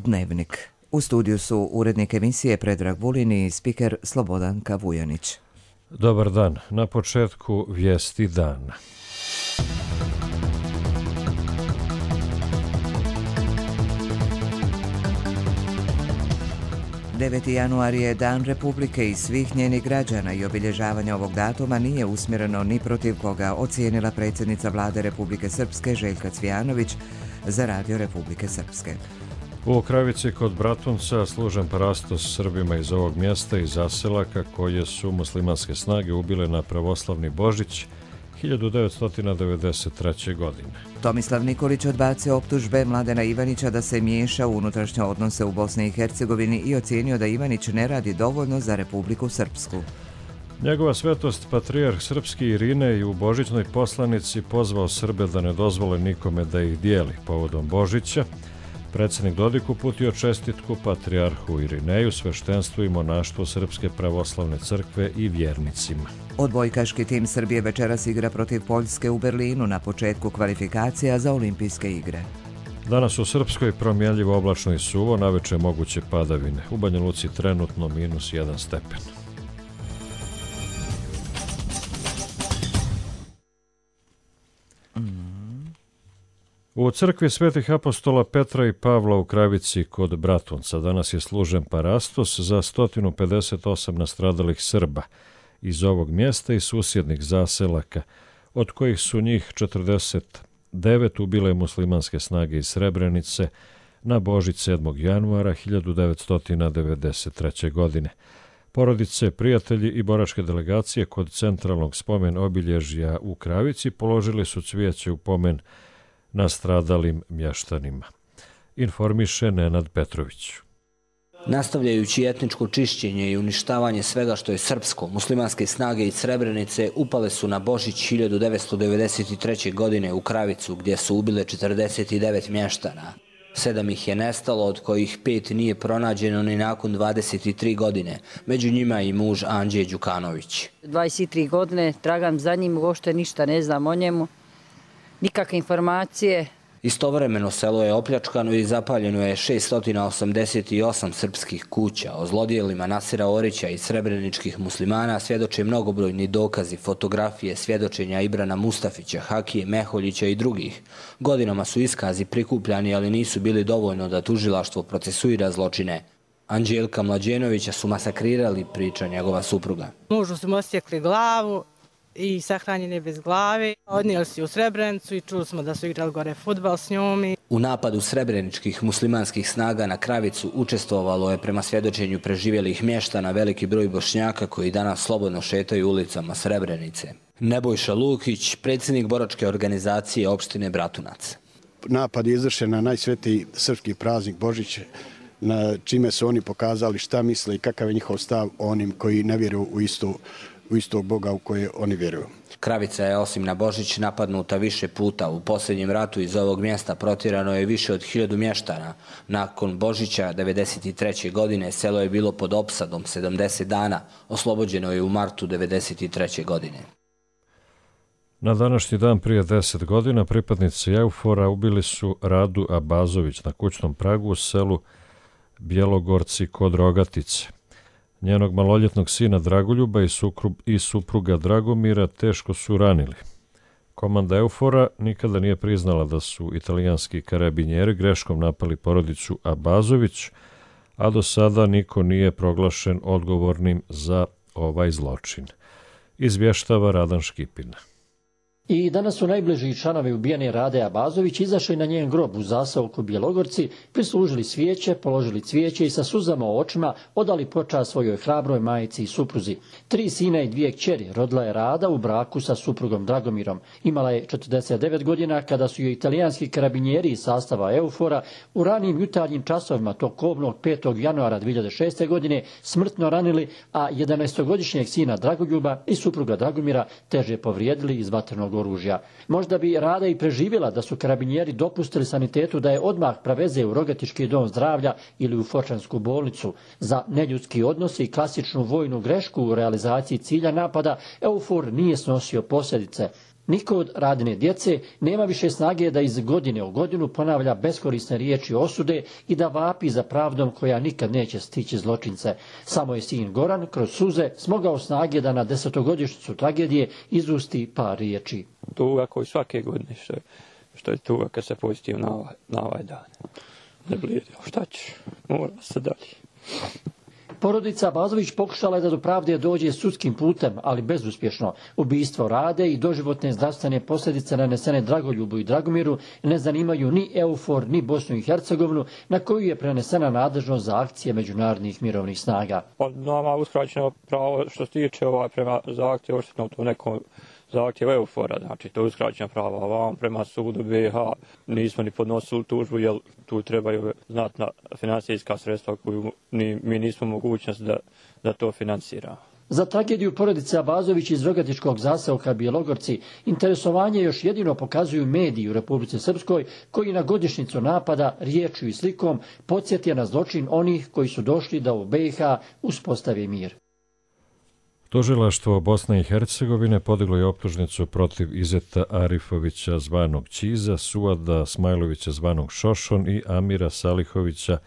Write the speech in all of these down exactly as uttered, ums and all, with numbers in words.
Dnevnik. U studiju su urednik emisije Predrag Vulin i spiker Slobodanka Vujanić. Dobar dan. Na početku vijesti dana. deveti januar je Dan Republike i svih njenih građana i obilježavanje ovog datuma nije usmjereno ni protiv koga, ocijenila predsjednica Vlade Republike Srpske Željka Cvijanović za Radio Republike Srpske. U Kravici kod Bratunca služen parastos Srbima iz ovog mjesta i zaselaka koje su muslimanske snage ubile na pravoslavni Božić hiljadu devetsto devedeset treće. godine. Tomislav Nikolić odbacio optužbe Mladena Ivanića da se miješa u unutrašnje odnose u Bosni i Hercegovini i ocijenio da Ivanić ne radi dovoljno za Republiku Srpsku. Njegova svetost patrijarh srpski Irine i u božićnoj poslanici pozvao Srbe da ne dozvole nikome da ih dijeli. Povodom Božića predsjednik Dodik uputio čestitku patrijarhu Irineju, sveštenstvu i monaštvu Srpske pravoslavne crkve i vjernicima. Odbojkaški tim Srbije večeras igra protiv Poljske u Berlinu na početku kvalifikacija za olimpijske igre. Danas u Srpskoj promjenljivo oblačno i suvo, naveče moguće padavine. U Banja Luci trenutno minus jedan stepen. U crkvi svetih apostola Petra i Pavla u Kravici kod Bratunca danas je služen parastos za sto pedeset osam nastradalih Srba iz ovog mjesta i susjednih zaselaka, od kojih su njih četrdeset devet ubile muslimanske snage iz Srebrenice na Božić sedmog januara hiljadu devetsto devedeset treće. godine. Porodice, prijatelji i boračke delegacije kod centralnog spomen obilježja u Kravici položili su cvijeće u pomen nastradalim mještanima. Informiše Nenad Petrović. Nastavljajući etničko čišćenje i uništavanje svega što je srpsko, muslimanske snage iz Srebrenice upale su na Božić hiljadu devetsto devedeset treće. godine u Kravicu, gdje su ubile četrdeset devet mještana. Sedam ih je nestalo, od kojih pet nije pronađeno ni nakon dvadeset tri godine. Među njima i muž Anđe Đukanović. dvadeset tri godine tragam za njim, uopšte ništa ne znam o njemu. Nikakve informacije. Istovremeno selo je opljačkano i zapaljeno je šessto osamdeset osam srpskih kuća. O zlodjelima Nasira Orića i srebreničkih muslimana svjedoče mnogobrojni dokazi, fotografije, svjedočenja Ibrana Mustafića, Hakije Meholjića i drugih. Godinama su iskazi prikupljani, ali nisu bili dovoljno da tužilaštvo procesuira zločine. Anđelka Mlađenovića su masakrirali, priča njegova supruga. Mužu su mu osjekli glavu i sahranjen je bez glave. Odnijeli su u Srebrenicu i čuli smo da su igrali gore fudbal s njom. U napadu srebreničkih muslimanskih snaga na Kravicu učestvovalo je prema svjedočenju preživjelih mještana veliki broj Bošnjaka koji danas slobodno šetaju ulicama Srebrenice. Nebojša Lukić, predsjednik boračke organizacije opštine Bratunac. Napad je izvršen na najsvetiji srpski praznik Božić, na čime su oni pokazali šta misle i kakav je njihov stav onim koji ne vjeruju u istu u istog Boga u koje oni vjeruju. Kravica je osim na Božić napadnuta više puta. U posljednjem ratu iz ovog mjesta protjerano je više od hiljadu mještana. Nakon Božića devedeset treće. godine selo je bilo pod opsadom sedamdeset dana. Oslobođeno je u martu devedeset treće. godine. Na današnji dan prije deset godina pripadnici Eufora ubili su Radu Abazović na kućnom pragu u selu Bjelogorci kod Rogatice. Njenog maloljetnog sina Dragoljuba i, sukru, i supruga Dragomira teško su ranili. Komanda Eufora nikada nije priznala da su italijanski karabinjeri greškom napali porodicu Abazović, a do sada niko nije proglašen odgovornim za ovaj zločin. Izvještava Radan Škipina. I danas su najbliži članovi ubijene Rade Abazović izašli na njen grob u zaseoku Bjelogorci, prislužili svijeće, položili cvijeće i sa suzama u očima odali počast svojoj hrabroj majici i supruzi. Tri sina i dvije kćeri rodila je Rada u braku sa suprugom Dragomirom. Imala je četrdeset devet godina kada su joj italijanski karabinjeri iz sastava Eufora u ranim jutarnjim časovima tog kobnog petog januara dvije hiljade šeste. godine smrtno ranili, a jedanaestogodišnjeg sina Dragoljuba i supruga Dragomira teže povrijedili iz vatrenog oružja. Možda bi Rada i preživjela da su karabinjeri dopustili sanitetu da je odmah preveze u Rogatički dom zdravlja ili u Fočansku bolnicu. Za neljudski odnos i klasičnu vojnu grešku u realizaciji cilja napada Eufor nije snosio posljedice. Niko od Radine djece nema više snage da iz godine u godinu ponavlja beskorisne riječi osude i da vapi za pravdom koja nikad neće stići zločince. Samo je sin Goran kroz suze smogao snage da na desetogodišnjicu tragedije izusti par riječi. Tuga koji svake godine što je, što je tuga kad se posjetim na ovaj, na ovaj dan. Ne blijedi, šta će, mora se dalje. Porodica Abazović pokušala je da do pravde dođe sudskim putem, ali bezuspješno. Ubistvo Rade i doživotne zdravstvene posljedice nanesene Dragoljubu i Dragomiru ne zanimaju ni EUFOR, ni Bosnu i Hercegovinu, na koju je prenesena nadležnost za akcije međunarodnih mirovnih snaga. Nama uskraćeno pravo što se tiče ovaj prema zahtjevu odštetnog to nekom zahtjev EUFOR-a, znači to je uskraćena prava. Vam prema sudu B iH nismo ni podnosili tužbu, jer tu trebaju znatna financijska sredstva koju ni, mi nismo mogućnost da, da to financiramo. Za tragediju porodice Abazović iz Rogatičkog zaseoka Bjelogorci interesovanje još jedino pokazuju mediji u Republici Srpskoj, koji na godišnjicu napada riječju i slikom podsjetio na zločin onih koji su došli da u B iH uspostavi mir. Tužilaštvo Bosne i Hercegovine podiglo je optužnicu protiv Izeta Arifovića zvanog Ćiza, Suada Smajlovića zvanog Šošon i Amira Salihovića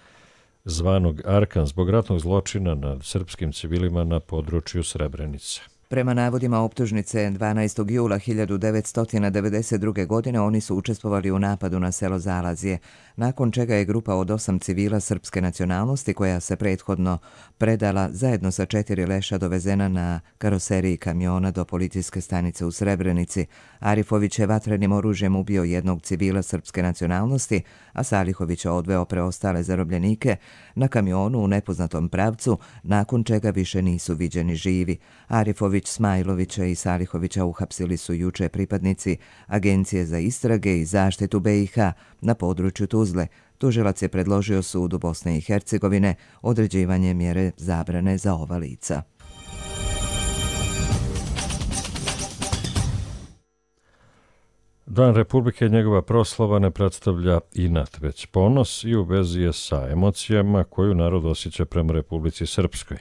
zvanog Arkan zbog ratnog zločina nad srpskim civilima na području Srebrenice. Prema navodima optužnice, dvanaestog jula hiljadu devetsto devedeset druge. godine oni su učestvovali u napadu na selo Zalazije, nakon čega je grupa od osam civila srpske nacionalnosti, koja se prethodno predala zajedno sa četiri leša, dovezena na karoseriji kamiona do policijske stanice u Srebrenici. Arifović je vatrenim oružjem ubio jednog civila srpske nacionalnosti, a Salihović odveo preostale zarobljenike na kamionu u nepoznatom pravcu, nakon čega više nisu viđeni živi. Arifović, Smajlovića i Salihovića uhapsili su juče pripadnici Agencije za istrage i zaštitu B iH na području Tuzle. Tužilac je predložio sudu Bosne i Hercegovine određivanje mjere zabrane za ova lica. Dan Republike i njegova proslava ne predstavlja inat, već ponos i u vezi je sa emocijama koju narod osjeća prema Republici Srpskoj,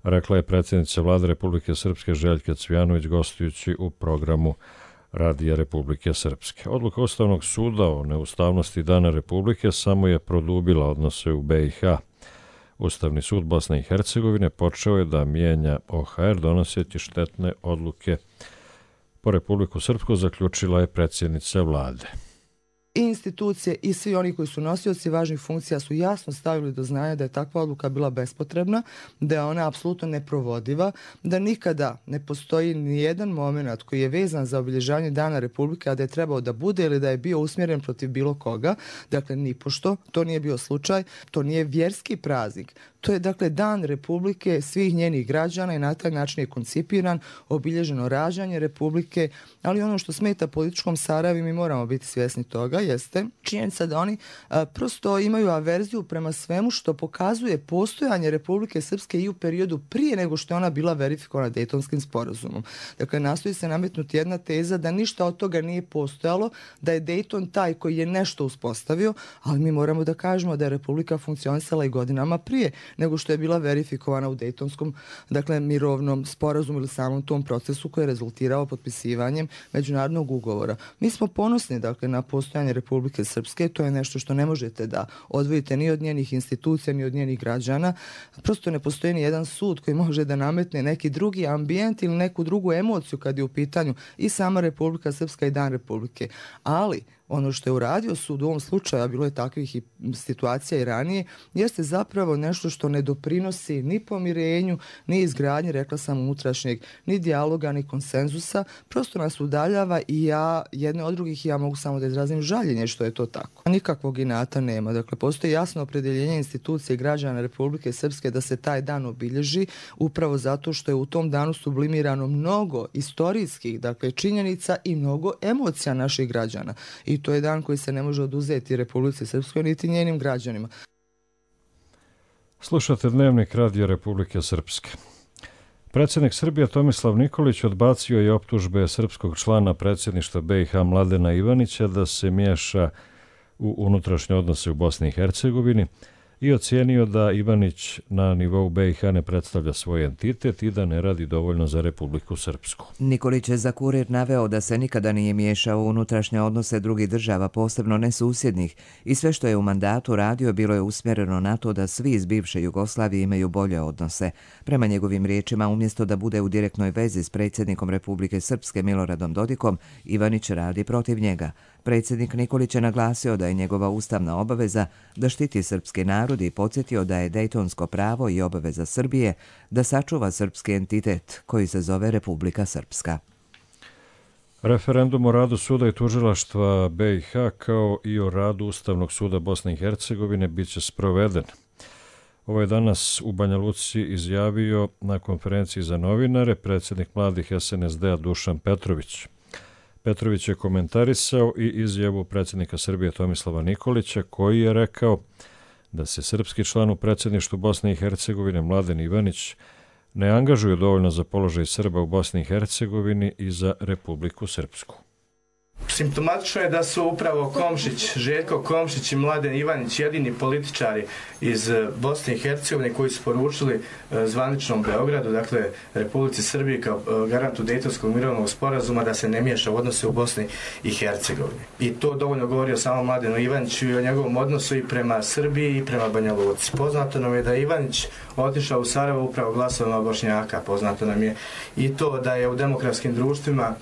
rekla je predsjednica Vlade Republike Srpske Željka Cvijanović gostujući u programu Radija Republike Srpske. Odluka Ustavnog suda o neustavnosti Dana Republike samo je produbila odnose u B iH. Ustavni sud Bosne i Hercegovine počeo je da mijenja O H R donoseći štetne odluke po Republiku Srpsku, zaključila je predsjednica Vlade. I institucije i svi oni koji su nosioci važnih funkcija su jasno stavili do znanja da je takva odluka bila bespotrebna, da je ona apsolutno neprovodiva, da nikada ne postoji ni jedan moment koji je vezan za obilježavanje Dana Republike, a da je trebao da bude ili da je bio usmjeren protiv bilo koga. Dakle, nipošto, to nije bio slučaj, to nije vjerski praznik. To je, dakle, Dan Republike svih njenih građana i na taj način je koncipiran, obilježeno rađanje Republike, ali ono što smeta političkom Sarajevu, mi moramo biti svjesni toga, jeste činjenica da oni a, prosto imaju averziju prema svemu što pokazuje postojanje Republike Srpske i u periodu prije nego što je ona bila verifikovana Dejtonskim sporazumom. Dakle, nastoji se nametnuti jedna teza da ništa od toga nije postojalo, da je Dejton taj koji je nešto uspostavio, ali mi moramo da kažemo da je Republika funkcionisala i godinama prije nego što je bila verifikovana u Dejtonskom, dakle, mirovnom sporazumu ili samom tom procesu koji je rezultirao potpisivanjem međunarodnog ugovora. Mi smo ponosni, dakle, na postojanje Republike Srpske, to je nešto što ne možete da odvojite ni od njenih institucija, ni od njenih građana. Prosto ne postoji ni jedan sud koji može da nametne neki drugi ambijent ili neku drugu emociju kad je u pitanju i sama Republika Srpska i Dan Republike. Ali ono što je uradio sud u ovom slučaju, a bilo je takvih i situacija i ranije, jeste zapravo nešto što ne doprinosi ni pomirenju, ni izgradnji, rekla sam, unutrašnjeg, ni dijaloga, ni konsenzusa, prosto nas udaljava i ja, jedne od drugih, ja mogu samo da izrazim žaljenje što je to tako. Nikakvog inata nema. Dakle, postoji jasno opredjeljenje institucije građana Republike Srpske da se taj dan obilježi, upravo zato što je u tom danu sublimirano mnogo istorijskih, dakle, činjenica i mnogo emocija naših građana. I to je dan koji se ne može oduzeti Republici Srpskoj niti njenim građanima. Slušate Dnevnik Radija Republike Srpske. Predsjednik Srbije Tomislav Nikolić odbacio je optužbe srpskog člana predsjedništva B iH Mladena Ivanića da se miješa u unutrašnje odnose u Bosni i Hercegovini i ocijenio da Ivanić na nivou B i H ne predstavlja svoj entitet i da ne radi dovoljno za Republiku Srpsku. Nikolić je za Kurir naveo da se nikada nije miješao u unutrašnje odnose drugih država, posebno ne susjednih, i sve što je u mandatu radio bilo je usmjereno na to da svi iz bivše Jugoslavije imaju bolje odnose. Prema njegovim riječima, umjesto da bude u direktnoj vezi s predsjednikom Republike Srpske Miloradom Dodikom, Ivanić radi protiv njega. Predsjednik Nikolić je naglasio da je njegova ustavna obaveza da štiti srpski narod i podsjetio da je dejtonsko pravo i obaveza Srbije da sačuva srpski entitet koji se zove Republika Srpska. Referendum o radu suda i tužilaštva B i H kao i o radu Ustavnog suda Bosne i Hercegovine bit će sproveden. Ovo je danas u Banja Luci izjavio na konferenciji za novinare predsjednik mladih S N S D-a Dušan Petrović. Petrović je komentarisao i izjavu predsjednika Srbije Tomislava Nikolića, koji je rekao da se srpski član u predsjedništvu Bosne i Hercegovine Mladen Ivanić ne angažuje dovoljno za položaj Srba u Bosni i Hercegovini i za Republiku Srpsku. Simptomatično je da su upravo Komšić, Željko Komšić i Mladen Ivanić jedini političari iz Bosne i Hercegovine koji su poručili zvaničnom Beogradu, dakle Republici Srbiji kao garantu Dejtonskog mirovnog sporazuma, da se ne miješa u odnose u Bosni i Hercegovini. I to dovoljno govori o samom Mladenu Ivaniću i o njegovom odnosu i prema Srbiji i prema Banja Luci. Poznato nam je da je Ivanić otišao u Sarajevo upravo glasovima Bošnjaka. Poznato nam je i to da je u demokratskim društvima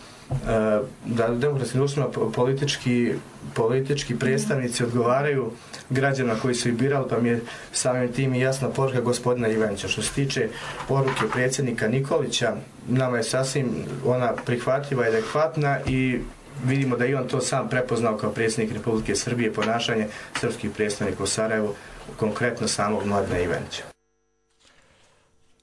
da u demokratskim društvima politički, politički predstavnici odgovaraju građanima koji su ih birali, pa mi je samim tim i jasna poruka gospodina Ivanića. Što se tiče poruke predsjednika Nikolića, nama je sasvim ona prihvatljiva i adekvatna i vidimo da i on to sam prepoznao kao predsjednik Republike Srbije, ponašanje srpskih predstavnika u Sarajevu, konkretno samog Mladena Ivanića.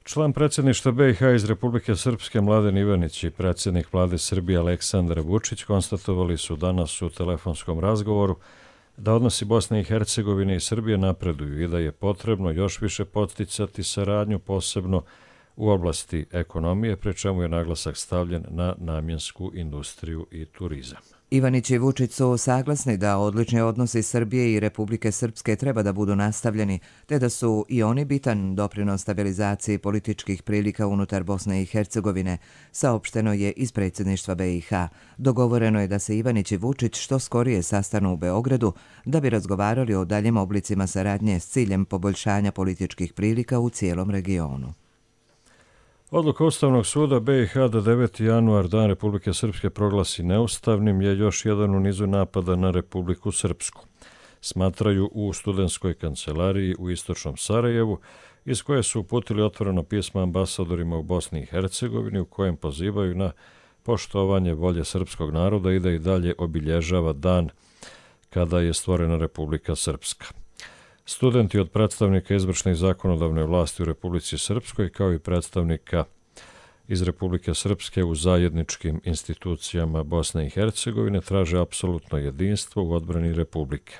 Član predsjedništva B i H iz Republike Srpske Mladen Ivanić i predsjednik vlade Srbije Aleksandar Vučić konstatovali su danas u telefonskom razgovoru da odnosi Bosne i Hercegovine i Srbije napreduju i da je potrebno još više podsticati saradnju, posebno u oblasti ekonomije, pri čemu je naglasak stavljen na namjensku industriju i turizam. Ivanić i Vučić su saglasni da odlični odnosi Srbije i Republike Srpske treba da budu nastavljeni, te da su i oni bitan doprinos stabilizaciji političkih prilika unutar Bosne i Hercegovine, saopšteno je iz predsjedništva B i H. Dogovoreno je da se Ivanić i Vučić što skorije sastanu u Beogradu da bi razgovarali o daljim oblicima saradnje s ciljem poboljšanja političkih prilika u cijelom regionu. Odluka Ustavnog suda B i H da deveti januar, Dan Republike Srpske, proglasi neustavnim je još jedan u nizu napada na Republiku Srpsku. Smatraju u studentskoj kancelariji u istočnom Sarajevu, iz koje su uputili otvoreno pismo ambasadorima u Bosni i Hercegovini u kojem pozivaju na poštovanje volje srpskog naroda i da i dalje obilježava dan kada je stvorena Republika Srpska. Studenti od predstavnika izvršne i zakonodavne vlasti u Republici Srpskoj kao i predstavnika iz Republike Srpske u zajedničkim institucijama Bosne i Hercegovine traže apsolutno jedinstvo u odbrani Republike.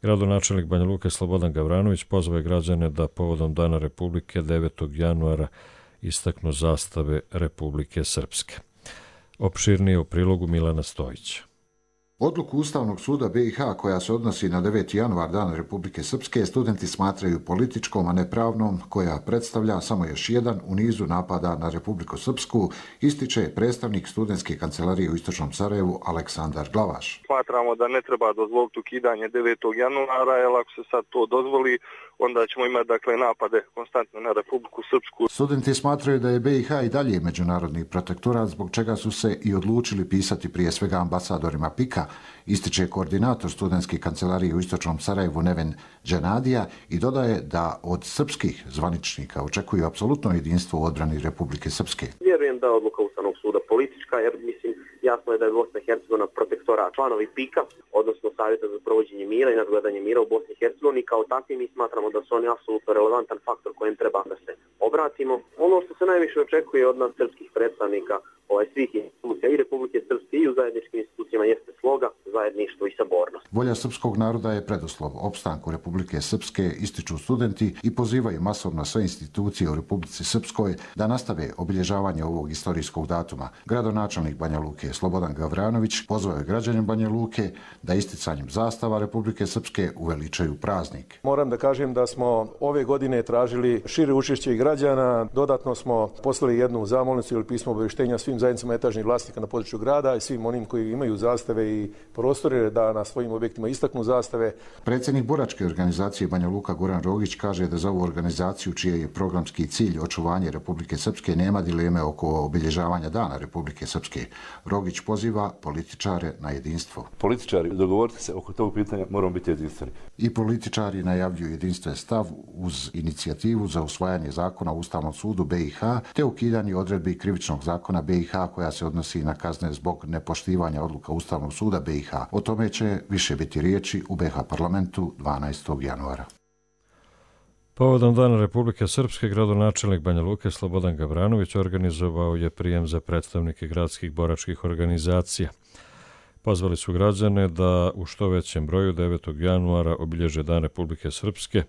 Gradonačelnik Banja Luke Slobodan Gavranović pozvao je građane da povodom Dana Republike devetog januara istaknu zastave Republike Srpske. Opširnije u prilogu Milana Stojića. Odluku Ustavnog suda B i H koja se odnosi na deveti januar, Dan Republike Srpske, studenti smatraju političkom, a ne pravnom, koja predstavlja samo još jedan u nizu napada na Republiku Srpsku, ističe predstavnik studentske kancelarije u istočnom Sarajevu Aleksandar Glavaš. Smatramo da ne treba dozvoliti ukidanje devetog januara, jer ako se sad to dozvoli, onda ćemo imati dakle napade konstantno na Republiku Srpsku. Studenti smatraju da je B i H i dalje međunarodni protektorat, zbog čega su se i odlučili pisati prije svega ambasadorima P I K-a, ističe koordinator studentske kancelarije u istočnom Sarajevu Neven Dženadija i dodaje da od srpskih zvaničnika očekuju apsolutno jedinstvo u odbrani Republike Srpske. Vjerujem da je odluka Ustavnog suda politička, jer mislim jasno je da je Bosna i Hercegovina protektorat. Članovi P I K-a, odnosno Savjeta za provođenje mira i nadgledanje mira u Bosni i Hercegovini, kao takvi mi smatramo da su oni apsolutno relevantan faktor kojem treba da se obratimo. Ono što se najviše očekuje od nas srpskih predstavnika ovaj, svih institucija i Republike Srpske i u zajedničkim institucijama jeste sloga, zajedništvo i sabornost. Volja srpskog naroda je preduslov opstanku Republike Srpske, ističu studenti i pozivaju masovno sve institucije u Republici Srpskoj da nastave obilježavanje ovog istorijskog datuma. Gradonačelnik Banja Luke Slobodan Gavranović pozvao je građane Banja Luke da isticanjem zastava Republike Srpske uveličaju praznik. Moram da kažem da smo ove godine tražili šire učešće i građana. Dodatno smo poslali jednu zamolnicu ili pismo obavještenja svim zajednicama etažnih vlasnika na području grada i svim onim koji imaju zastave i prostore da na svojim objektima istaknu zastave. Predsjednik boračke organizacije Banja Luka Goran Rogić kaže da za ovu organizaciju, čiji je programski cilj očuvanje Republike Srpske, nema dileme oko obilježavanja Dana Republike Srpske. Rogić poziva političare na jedinstvo. Političari, dogovorite se oko tog pitanja, moramo biti jedinstveni. I političari najavljuju jedinstven stav uz inicijativu za usvajanje zakona u Ustavnom sudu B i H te ukidanje odredbi krivičnog zakona B i H koja se odnosi na kazne zbog nepoštivanja odluka Ustavnog suda B i H. O tome će više biti riječi u B i H parlamentu dvanaestog januara. Povodom Dana Republike Srpske, gradonačelnik Banja Luke Slobodan Gavranović organizovao je prijem za predstavnike gradskih boračkih organizacija. Pozvali su građane da u što većem broju devetog januara obilježe Dan Republike Srpske,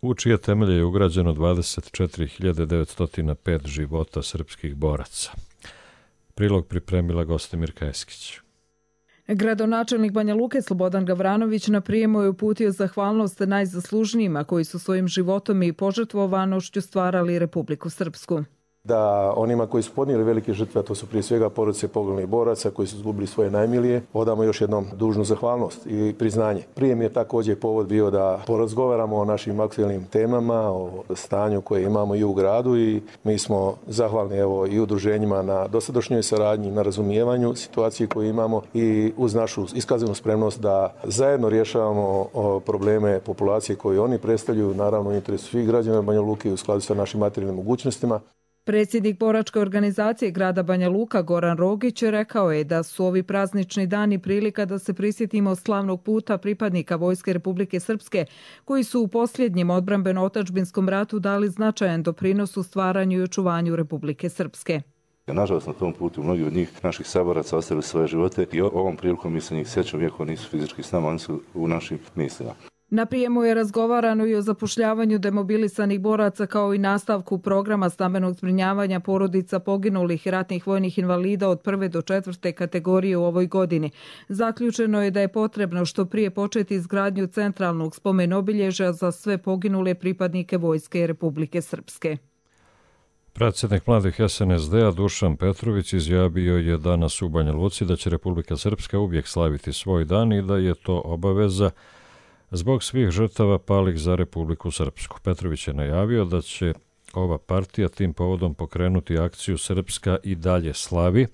u čije temelje je ugrađeno dvadeset četiri hiljade devetsto pet života srpskih boraca. Prilog pripremila Gostimir Kajeskić. Gradonačelnik Banja Luke Slobodan Gavranović na prijemu je uputio zahvalnost najzaslužnijima koji su svojim životom i požrtvovanošću stvarali Republiku Srpsku. Da onima koji su podnijeli velike žrtve, a to su prije svega porodice poginulih boraca koji su izgubili svoje najmilije, odamo još jednom dužnu zahvalnost i priznanje. Prije mi je također povod bio da porazgovaramo o našim aktualnim temama, o stanju koje imamo i u gradu i mi smo zahvalni evo i udruženjima na dosadašnjoj saradnji, na razumijevanju situacije koje imamo i uz našu iskazanu spremnost da zajedno rješavamo probleme populacije koje oni predstavljaju, naravno u interesu svih građana Banja Luke u skladu sa našim materijalnim mogućnostima. Predsjednik boračke organizacije grada Banja Luka Goran Rogić rekao je da su ovi praznični dani prilika da se prisjetimo slavnog puta pripadnika Vojske Republike Srpske koji su u posljednjem odbrambeno-otadžbinskom ratu dali značajan doprinos u stvaranju i očuvanju Republike Srpske. Nažalost, na tom putu mnogi od njih, naših saboraca, ostavili svoje živote i ovom prilikom mi se njih sjećamo, iako nisu fizički s nama, oni su u našim mislima. Na prijemu je razgovarano i o zapošljavanju demobilisanih boraca kao i nastavku programa stambenog zbrinjavanja porodica poginulih i ratnih vojnih invalida od prve do četvrte kategorije u ovoj godini. Zaključeno je da je potrebno što prije početi izgradnju centralnog spomen obilježja za sve poginule pripadnike Vojske Republike Srpske. Predsjednik mladih S N S D-a Dušan Petrović izjavio je danas u Banja Luci da će Republika Srpska uvijek slaviti svoj dan i da je to obaveza zbog svih žrtava palih za Republiku Srpsku. Petrović je najavio da će ova partija tim povodom pokrenuti akciju Srpska i dalje slavi,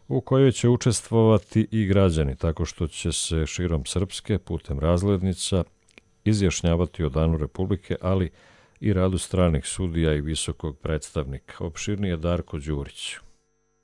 u kojoj će učestvovati i građani, tako što će se širom Srpske putem razglednica izjašnjavati o Danu Republike, ali i radu stranih sudija i visokog predstavnika. Opširnije Darko Đurić.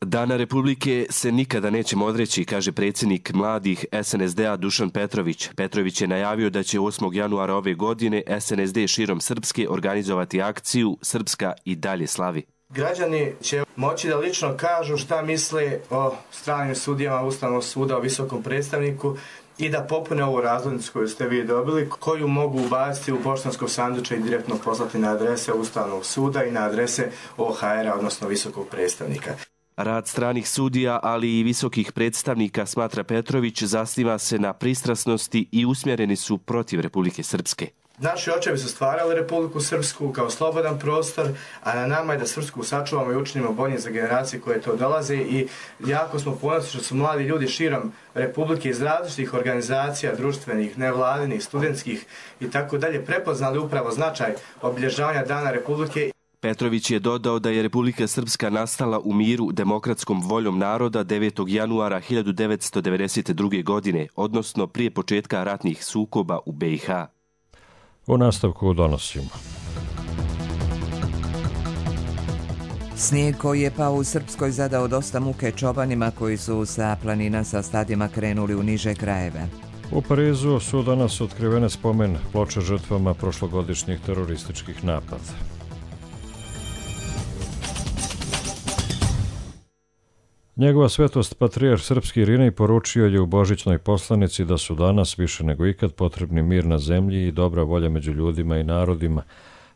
Dana Republike se nikada nećemo odreći, kaže predsjednik mladih S N S D-a Dušan Petrović. Petrović je najavio da će osmog januara ove godine S N S D širom Srpske organizovati akciju Srpska i dalje slavi. Građani će moći da lično kažu šta misle o stranim sudijama Ustavnog suda, o visokom predstavniku i da popune ovu razglednicu koju ste vi dobili, koju mogu ubaciti u poštansko sanduče i direktno poslati na adrese Ustavnog suda i na adrese O H R-a, odnosno visokog predstavnika. Rad stranih sudija, ali i visokih predstavnika, smatra Petrović, zasniva se na pristrasnosti i usmjereni su protiv Republike Srpske. Naši očevi su stvarali Republiku Srpsku kao slobodan prostor, a na nama je da Srpsku sačuvamo i učinimo bolje za generacije koje to dolaze i jako smo ponosni što su mladi ljudi širom Republike iz različitih organizacija, društvenih, nevladinih, studentskih i tako dalje prepoznali upravo značaj obilježavanja Dana Republike. Petrović je dodao da je Republika Srpska nastala u miru demokratskom voljom naroda devetog januara hiljadu devetsto devedeset druge. godine, odnosno prije početka ratnih sukoba u B i H. U nastavku donosimo. Snijeg koji je pao u Srpskoj zadao dosta muke čobanima koji su sa planina sa stadima krenuli u niže krajeve. U Parizu su danas otkrivene spomen ploče žrtvama prošlogodišnjih terorističkih napada. Njegova svetost patrijarh srpski Irinej poručio je u božićnoj poslanici da su danas više nego ikad potrebni mir na zemlji i dobra volja među ljudima i narodima,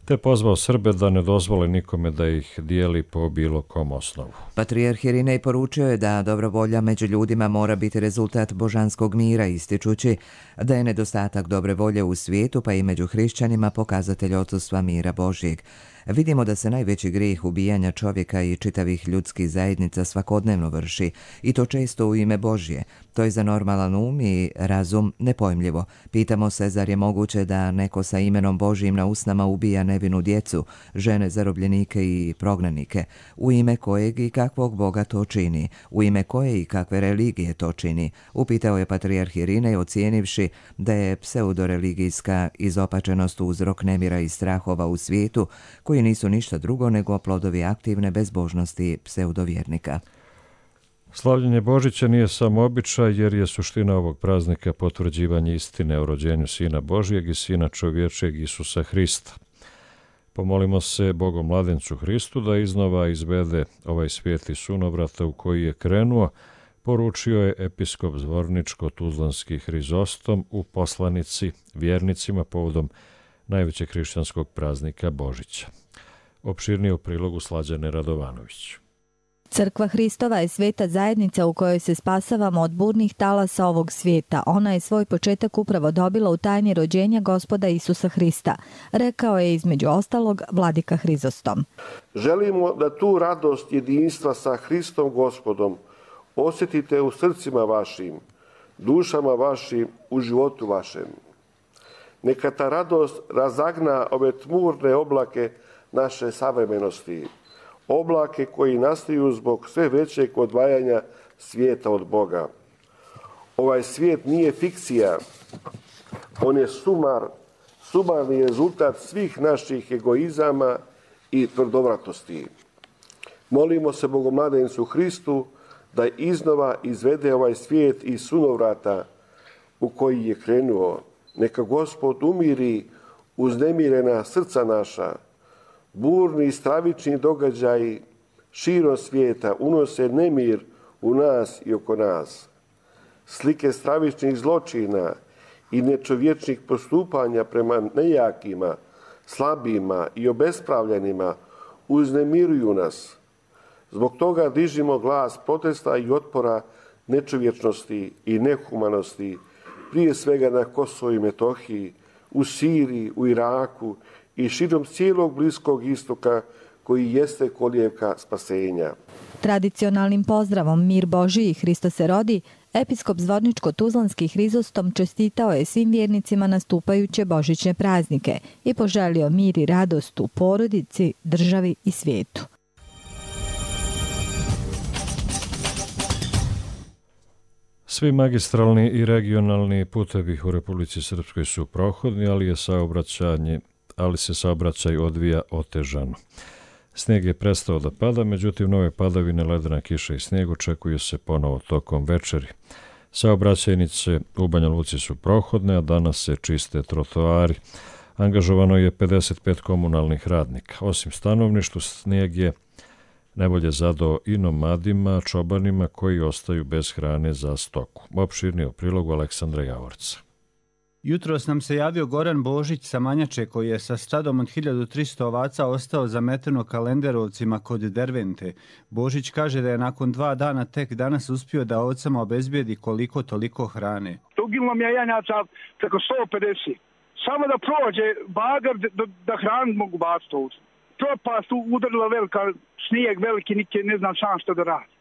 te pozvao Srbe da ne dozvole nikome da ih dijeli po bilo kom osnovu. Patrijarh Irinej poručio je da dobra volja među ljudima mora biti rezultat božanskog mira, ističući da je nedostatak dobre volje u svijetu, pa i među hrišćanima, pokazatelj odsustva mira Božjeg. Vidimo da se najveći grijeh ubijanja čovjeka i čitavih ljudskih zajednica svakodnevno vrši, i to često u ime Božje. To je za normalan um i razum nepojmljivo. Pitamo se, zar je moguće da neko sa imenom Božjim na usnama ubija nevinu djecu, žene, zarobljenike i prognanike? U ime kojeg i kakvog Boga to čini? U ime koje i kakve religije to čini? Upitao je patrijarh Irinej, ocijenivši da je pseudoreligijska izopačenost uzrok nemira i strahova u svijetu, koji nisu ništa drugo nego plodovi aktivne bezbožnosti pseudovjernika. Slavljenje Božića nije samo običaj, jer je suština ovog praznika potvrđivanje istine o rođenju Sina Božjeg i Sina čovječeg Isusa Hrista. Pomolimo se Bogom mladencu Hristu da iznova izvede ovaj svijet iz sunovrata u koji je krenuo, poručio je episkop Zvorničko-Tuzlanski Hrizostom u poslanici vjernicima povodom najvećeg hrišćanskog praznika Božića. Opširnije u prilogu Slađane Radovanović. Crkva Hristova je sveta zajednica u kojoj se spasavamo od burnih talasa ovog svijeta. Ona je svoj početak upravo dobila u tajni rođenja Gospoda Isusa Hrista, rekao je između ostalog vladika Hrizostom. Želimo da tu radost jedinstva sa Hristom Gospodom osjetite u srcima vašim, dušama vašim, u životu vašem. Neka ta radost razagna ove tmurne oblake naše savremenosti, oblake koji nastaju zbog sve većeg odvajanja svijeta od Boga. Ovaj svijet nije fikcija, on je sumar, sumarni rezultat svih naših egoizama i tvrdovratosti. Molimo se Bogomladencu Hristu da iznova izvede ovaj svijet iz sunovrata u koji je krenuo. Neka Gospod umiri uznemirena srca naša. Burni i stravični događaji širom svijeta unose nemir u nas i oko nas. Slike stravičnih zločina i nečovječnih postupanja prema nejakima, slabima i obespravljenima uznemiruju nas. Zbog toga dižimo glas protesta i otpora nečovječnosti i nehumanosti, prije svega na Kosovu i Metohiji, u Siriji, u Iraku i širom cijelog Bliskog istoka koji jeste kolijevka spasenja. Tradicionalnim pozdravom Mir Božji i Hristo se rodi, episkop Zvorničko-Tuzlanski Hrizostom čestitao je svim vjernicima nastupajuće božićne praznike i poželio mir i radost u porodici, državi i svijetu. Svi magistralni i regionalni putevi u Republici Srpskoj su prohodni, ali je saobraćanje, ali se saobraćaj odvija otežano. Snijeg je prestao da pada, međutim nove padavine, ledena kiša i snijeg očekuju se ponovo tokom večeri. Saobraćajnice u Banja Luci su prohodne, a danas se čiste trotoari. Angažovano je pedeset pet komunalnih radnika. Osim stanovništvu, snijeg je najbolje zadao i nomadima, čobanima koji ostaju bez hrane za stoku. Opširnije u prilogu Aleksandra Javorca. Jutros nam se javio Goran Božić sa Manjače, koji je sa stadom od hiljadu tristo ovaca ostao zameteno kalenderovcima kod Dervente. Božić kaže da je nakon dva dana tek danas uspio da ovcama obezbijedi koliko toliko hrane. Ugilno mi je janjaca preko sto pedeset. Samo da prođe bagar da, da hranu mogu baciti ovcu. Propast udarila velika, snijeg veliki, nike ne znam sam što da radi.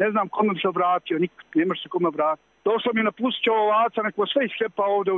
Ne znam kome bi se obratio, nik, ne može se kome obratiti. Došlo mi je napustit će ovaca, neko sve iskepa ovdje u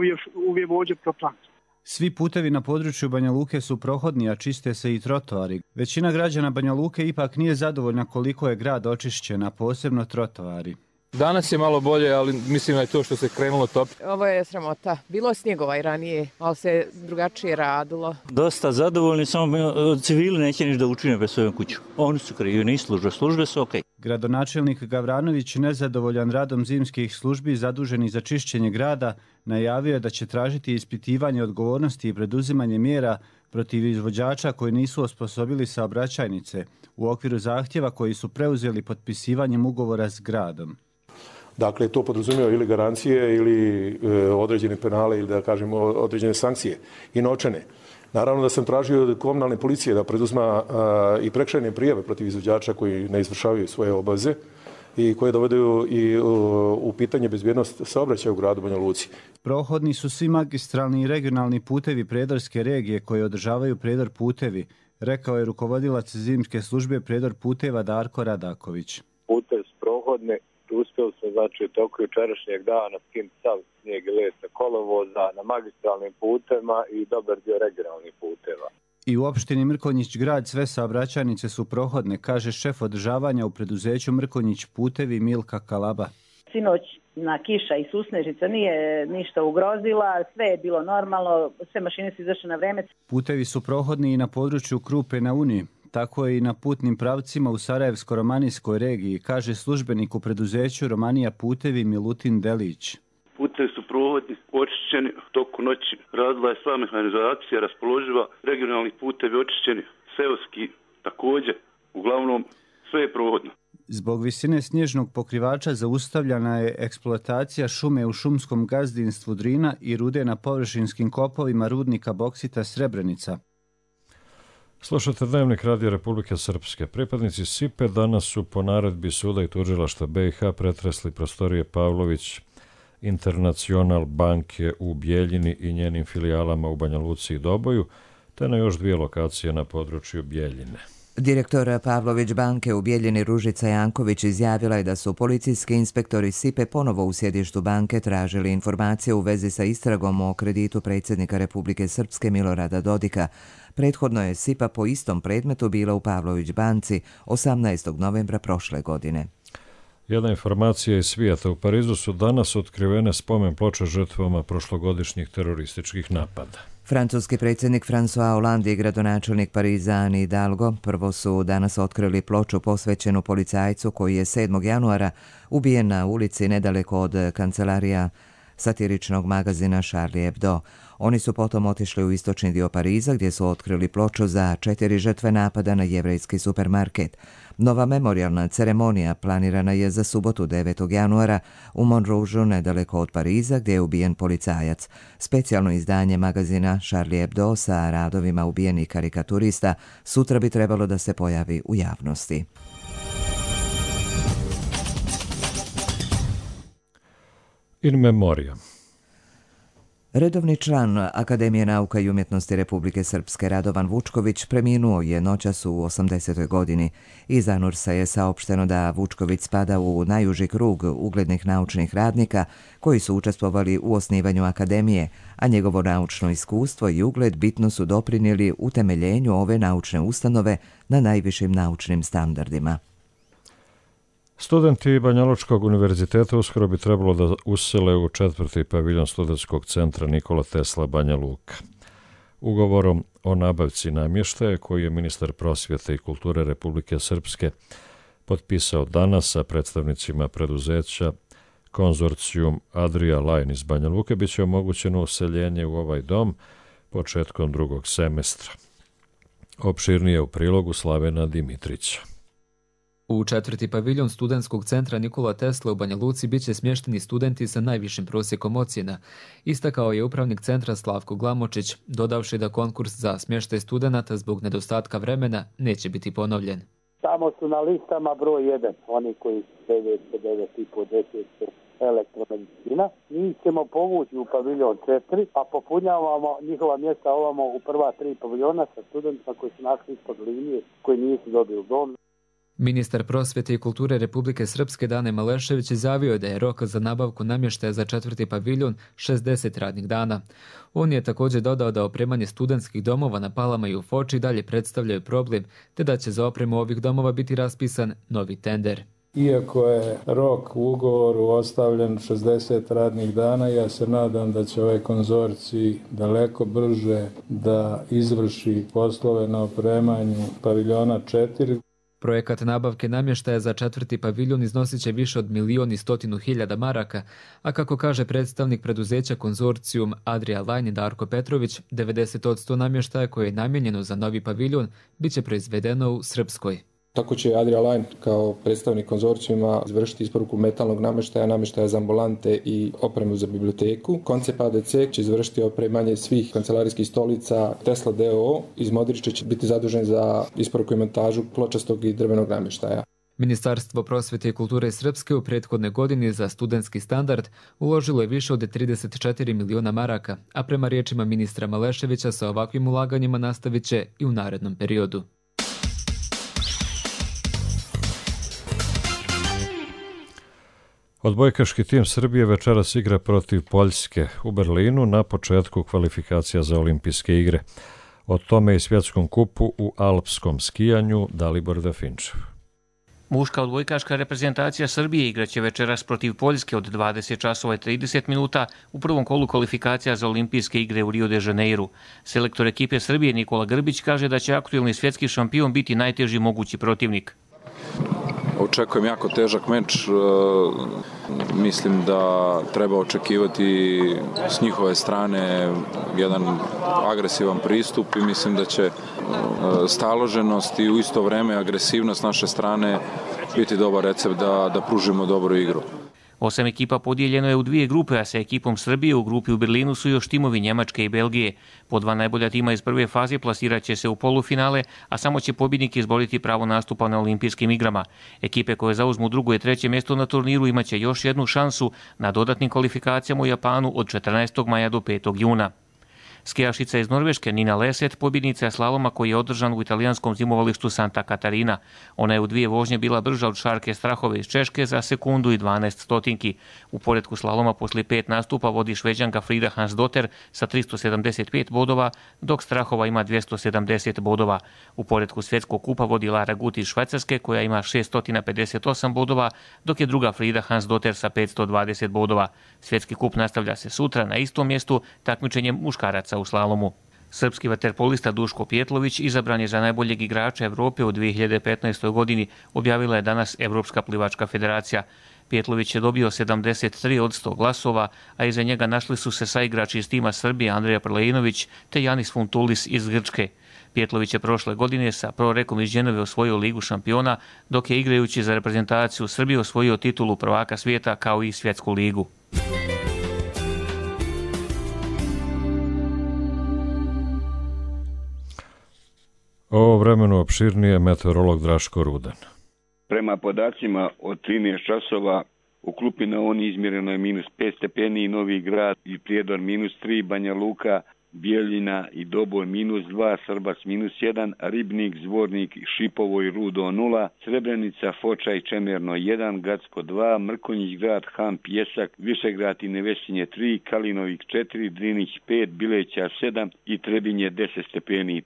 uvije vođe proplan. Svi putevi na području Banja Luke su prohodni, a čiste se i trotoari. Većina građana Banja Luke ipak nije zadovoljna koliko je grad očišćen, a posebno trotoari. Danas je malo bolje, ali mislim da je to što se krenulo top. Ovo je sramota. Bilo je snijegova i ranije, ali se drugačije radilo. Dosta zadovoljni, samo civili neće niš da učine bez svojom kuću. Oni su krivi, nisu službe, službe su okej. Okay. Gradonačelnik Gavranović, nezadovoljan radom zimskih službi zaduženih za čišćenje grada, najavio je da će tražiti ispitivanje odgovornosti i preduzimanje mjera protiv izvođača koji nisu osposobili saobraćajnice u okviru zahtjeva koji su preuzeli potpisivanjem ugovora s gradom. Dakle, to podrazumijeva ili garancije ili e, određene penale ili da kažemo određene sankcije i novčane. Naravno da sam tražio od komunalne policije da preduzma a, i prekršajne prijave protiv izvođača koji ne izvršavaju svoje obaveze i koje dovedu i u, u pitanje bezbjednost saobraćaja u gradu Banja Luci. Prohodni su svi magistralni i regionalni putevi Prijedorske regije koji održavaju Prijedor putevi, rekao je rukovodilac zimske službe Prijedor puteva Darko Radaković. Putev su prohodni, uspjeli smo znači u toku jučerašnjeg dana skinuti sav snijeg i led sa kolovoza na magistralnim putevima i dobar dio regionalnih puteva. I u opštini Mrkonjić grad sve saobraćajnice su prohodne, kaže šef održavanja u preduzeću Mrkonjić putevi Milka Kalaba. Sinoć na kiša i susnežica nije ništa ugrozila, sve je bilo normalno, sve mašine su izašle na vreme. Putevi su prohodni i na području Krupe na Uni, tako je i na putnim pravcima u Sarajevsko-Romanijskoj regiji, kaže službenik u preduzeću Romanija putevi Milutin Delić. Putevi su prohodni, očišćeni, u toku noći radila je sva mehanizacija, raspoloživa, regionalni putevi očišćeni, seoski također, uglavnom sve je prohodno. Zbog visine snježnog pokrivača zaustavljena je eksploatacija šume u šumskom gazdinstvu Drina i rude na površinskim kopovima rudnika boksita Srebrenica. Slušate Dnevnik Radija Republike Srpske. Pripadnici S I P E danas su po naredbi suda i tužilaštva B i H pretresli prostorije Pavlović Internacional banke u Bijeljini i njenim filijalama u Banja Luci i Doboju, te na još dvije lokacije na području Bijeljine. Direktor Pavlović banke u Bijeljini Ružica Janković izjavila je da su policijski inspektori S I P E ponovo u sjedištu banke tražili informacije u vezi sa istragom o kreditu predsjednika Republike Srpske Milorada Dodika. Prethodno je S I P A po istom predmetu bila u Pavlović banci osamnaestog novembra prošle godine. Jedna informacija iz svijeta. U Parizu su danas otkrivene spomen ploče žrtvama prošlogodišnjih terorističkih napada. Francuski predsjednik François Hollande i gradonačelnik Pariza Anne Hidalgo prvo su danas otkrili ploču posvećenu policajcu koji je sedmog januara ubijen na ulici nedaleko od kancelarija satiričnog magazina Charlie Hebdo. Oni su potom otišli u istočni dio Pariza gdje su otkrili ploču za četiri žrtve napada na jevrejski supermarket. Nova memorijalna ceremonija planirana je za subotu devetog januara u Montroužu nedaleko od Pariza gdje je ubijen policajac. Specijalno izdanje magazina Charlie Hebdo sa radovima ubijenih karikaturista sutra bi trebalo da se pojavi u javnosti. In memoriam. Redovni član Akademije nauka i umjetnosti Republike Srpske Radovan Vučković preminuo je noćas u osamdesetoj godini. Iz Anursa je saopšteno da Vučković spada u najuži krug uglednih naučnih radnika koji su učestvovali u osnivanju Akademije, a njegovo naučno iskustvo i ugled bitno su doprinijeli utemeljenju ove naučne ustanove na najvišim naučnim standardima. Studenti Banjalučkog univerziteta uskoro bi trebalo da usele u četvrti paviljon studentskog centra Nikola Tesla Banja Luka. Ugovorom o nabavci namještaja koji je ministar prosvjete i kulture Republike Srpske potpisao danas sa predstavnicima preduzeća Konzorcijum Adria Line iz Banja Luke, bit će omogućeno useljenje u ovaj dom početkom drugog semestra. Opširnije u prilogu Slavena Dimitrića. U četvrti paviljon studentskog centra Nikola Tesla u Banja Luci biće smješteni studenti sa najvišim prosjekom ocjena, istakao je upravnik centra Slavko Glamočić, dodavši da konkurs za smještaj studenata zbog nedostatka vremena neće biti ponovljen. Tamo su na listama broj jedan, oni koji su devet, devet i po, deset elektromedicina. Njih ćemo povući u paviljon četiri, a popunjavamo njihova mjesta ovamo u prva tri paviljona sa studentima koji su našli ispod linije, koji nisu dobili dom. Ministar prosvjete i kulture Republike Srpske Dane Malešević izjavio je da je rok za nabavku namještaja za četvrti paviljon šezdeset radnih dana. On je također dodao da opremanje studentskih domova na Palama i u Foči dalje predstavljaju problem, te da će za opremu ovih domova biti raspisan novi tender. Iako je rok u ugovoru ostavljen šezdeset radnih dana, ja se nadam da će ovaj konzorcij daleko brže da izvrši poslove na opremanju paviljona četiri. Projekat nabavke namještaja za četvrti paviljon iznosit će više od milion i stotinu hiljada maraka, a kako kaže predstavnik preduzeća konzorcijum Adria Line Darko Petrović, devedeset posto namještaja koje je namijenjeno za novi paviljon bit će proizvedeno u Srpskoj. Tako će Adria Line kao predstavnik konzorcijuma izvršiti isporuku metalnog namještaja, namještaja za ambulante i opremu za biblioteku. Koncept A D C će izvršiti opremanje svih kancelarijskih stolica. Tesla D O O iz Modrića će biti zadužen za isporuku i montažu pločastog i drvenog namještaja. Ministarstvo prosvjete i kulture Srpske u prethodne godini za studentski standard uložilo je više od trideset četiri miliona maraka, a prema riječima ministra Maleševića sa ovakvim ulaganjima nastavit će i u narednom periodu. Odbojkaški tim Srbije večeras igra protiv Poljske u Berlinu na početku kvalifikacija za olimpijske igre. O tome i svjetskom kupu u alpskom skijanju Dalibor Dafinčev. Muška odbojkaška reprezentacija Srbije igraće večeras protiv Poljske od dvadeset časova i trideset minuta u prvom kolu kvalifikacija za olimpijske igre u Rio de Janeiru. Selektor ekipe Srbije Nikola Grbić kaže da će aktuelni svjetski šampion biti najteži mogući protivnik. Očekujem jako težak meč, mislim da treba očekivati s njihove strane jedan agresivan pristup i mislim da će staloženost i u isto vrijeme agresivnost naše strane biti dobar recept da, da pružimo dobru igru. Osam ekipa podijeljeno je u dvije grupe, a sa ekipom Srbije u grupi u Berlinu su još timovi Njemačke i Belgije. Po dva najbolja tima iz prve faze plasirat će se u polufinale, a samo će pobjednik izboriti pravo nastupa na olimpijskim igrama. Ekipe koje zauzmu drugo i treće mjesto na turniru imaće još jednu šansu na dodatnim kvalifikacijama u Japanu od četrnaestog maja do petog juna. Skijašica iz Norveške Nina Leset pobjednica je slaloma koji je održan u italijanskom zimovalištu Santa Katarina. Ona je u dvije vožnje bila brža od Šarke Strahove iz Češke za sekundu i dvanaest stotinki. U poretku slaloma poslije pet nastupa vodi Šveđanka Frida Hansdotter sa tristo sedamdeset pet bodova, dok Strahova ima dvjesto sedamdeset bodova. U poretku svjetskog kupa vodi Lara Gut iz Švajcarske koja ima šesto pedeset osam bodova, dok je druga Frida Hansdotter sa petsto dvadeset bodova. Svjetski kup nastavlja se sutra na istom mjestu takmičenjem muškaraca u slalomu. Srpski vaterpolista Duško Pjetlović izabran je za najboljeg igrača Evrope u dvije hiljade petnaestoj. godini, objavila je danas Evropska plivačka federacija. Pjetlović je dobio sedamdeset tri od sto glasova, a iza njega našli su se saigrači iz tima Srbije Andreja Prlejinović te Janis Funtulis iz Grčke. Pjetlović je prošle godine sa Prorekom iz Ženeve osvojio Ligu šampiona, dok je igrajući za reprezentaciju Srbije osvojio titulu prvaka svijeta kao i svjetsku ligu. O vremenu opširnije meteorolog Draško Rudan. Prema podacima od trinaest časova u Klupi na Oni izmjereno je minus pet stepeni, Novi Grad i Prijedor minus tri, Banja Luka, Bijeljina i Doboj minus dva, Srbac minus jedan, Ribnik, Zvornik, Šipovo i Rudo nula, Srebrenica, Foča i Čemerno jedan, Gacko dva, Mrkonjić grad, Ham, Pjesak, Višegrad i Nevesinje tri, Kalinovik četiri, Drinić pet, Bileća sedam i Trebinje deset stepeni.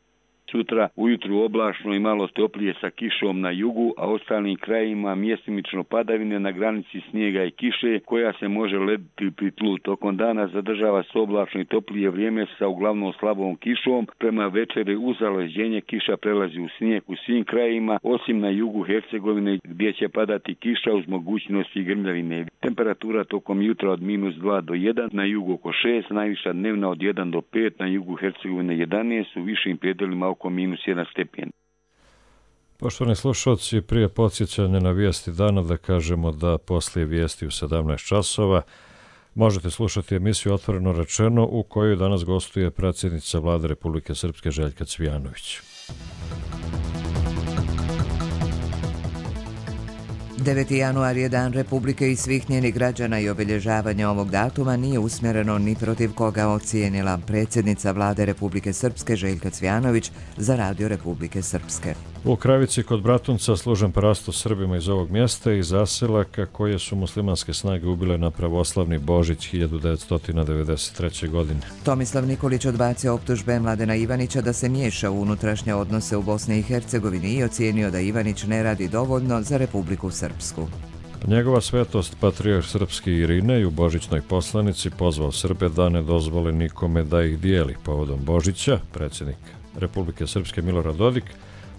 Sutra ujutru oblačno i malo toplije sa kišom na jugu, a ostalim krajima mjestimično padavine na granici snijega i kiše koja se može lediti pri tlu. Tokom dana zadržava se oblačno i toplije vrijeme sa uglavnom slabom kišom. Prema večeri uz zaleđenje kiša prelazi u snijeg u svim krajima, osim na jugu Hercegovine gdje će padati kiša uz mogućnosti grmljavine. Temperatura tokom jutra od minus dva do jedan, na jugu oko šest, najviša dnevna od jedan do pet, na jugu Hercegovine jedanaest, u višim predjelima oko minus jedan stepen. Poštovani slušalci, prije podsjećanja na vijesti dana da kažemo da poslije vijesti u sedamnaest časova možete slušati emisiju Otvoreno rečeno u kojoj danas gostuje predsjednica Vlade Republike Srpske Željka Cvijanović. deveti januar je dan Republike i svih njenih građana i obilježavanje ovog datuma nije usmjereno ni protiv koga, ocijenila predsjednica Vlade Republike Srpske Željka Cvijanović za Radio Republike Srpske. U Kravici kod Bratunca služen parastos Srbima iz ovog mjesta i zaselaka koje su muslimanske snage ubile na pravoslavni Božić hiljadu devetsto devedeset treće. godine. Tomislav Nikolić odbacio optužbe Mladena Ivanića da se miješa u unutrašnje odnose u Bosni i Hercegovini i ocijenio da Ivanić ne radi dovoljno za Republiku Srpsku. Njegova svetost patrijarh srpski Irinej u božićnoj poslanici pozvao Srbe da ne dozvole nikome da ih dijeli povodom Božića. Predsjednik Republike Srpske Milorad Dodik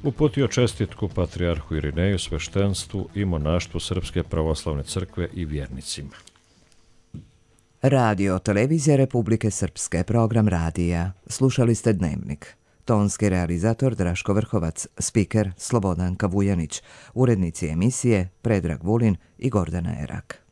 uputio čestitku patrijarhu Irineju, sveštenstvu i monaštvu Srpske pravoslavne crkve i vjernicima. Radio Televizija Republike Srpske, program radija. Slušali ste Dnevnik. Tonski realizator Draško Vrhovac, spiker Slobodanka Vujanić, urednici emisije Predrag Vulin i Gordana Erak.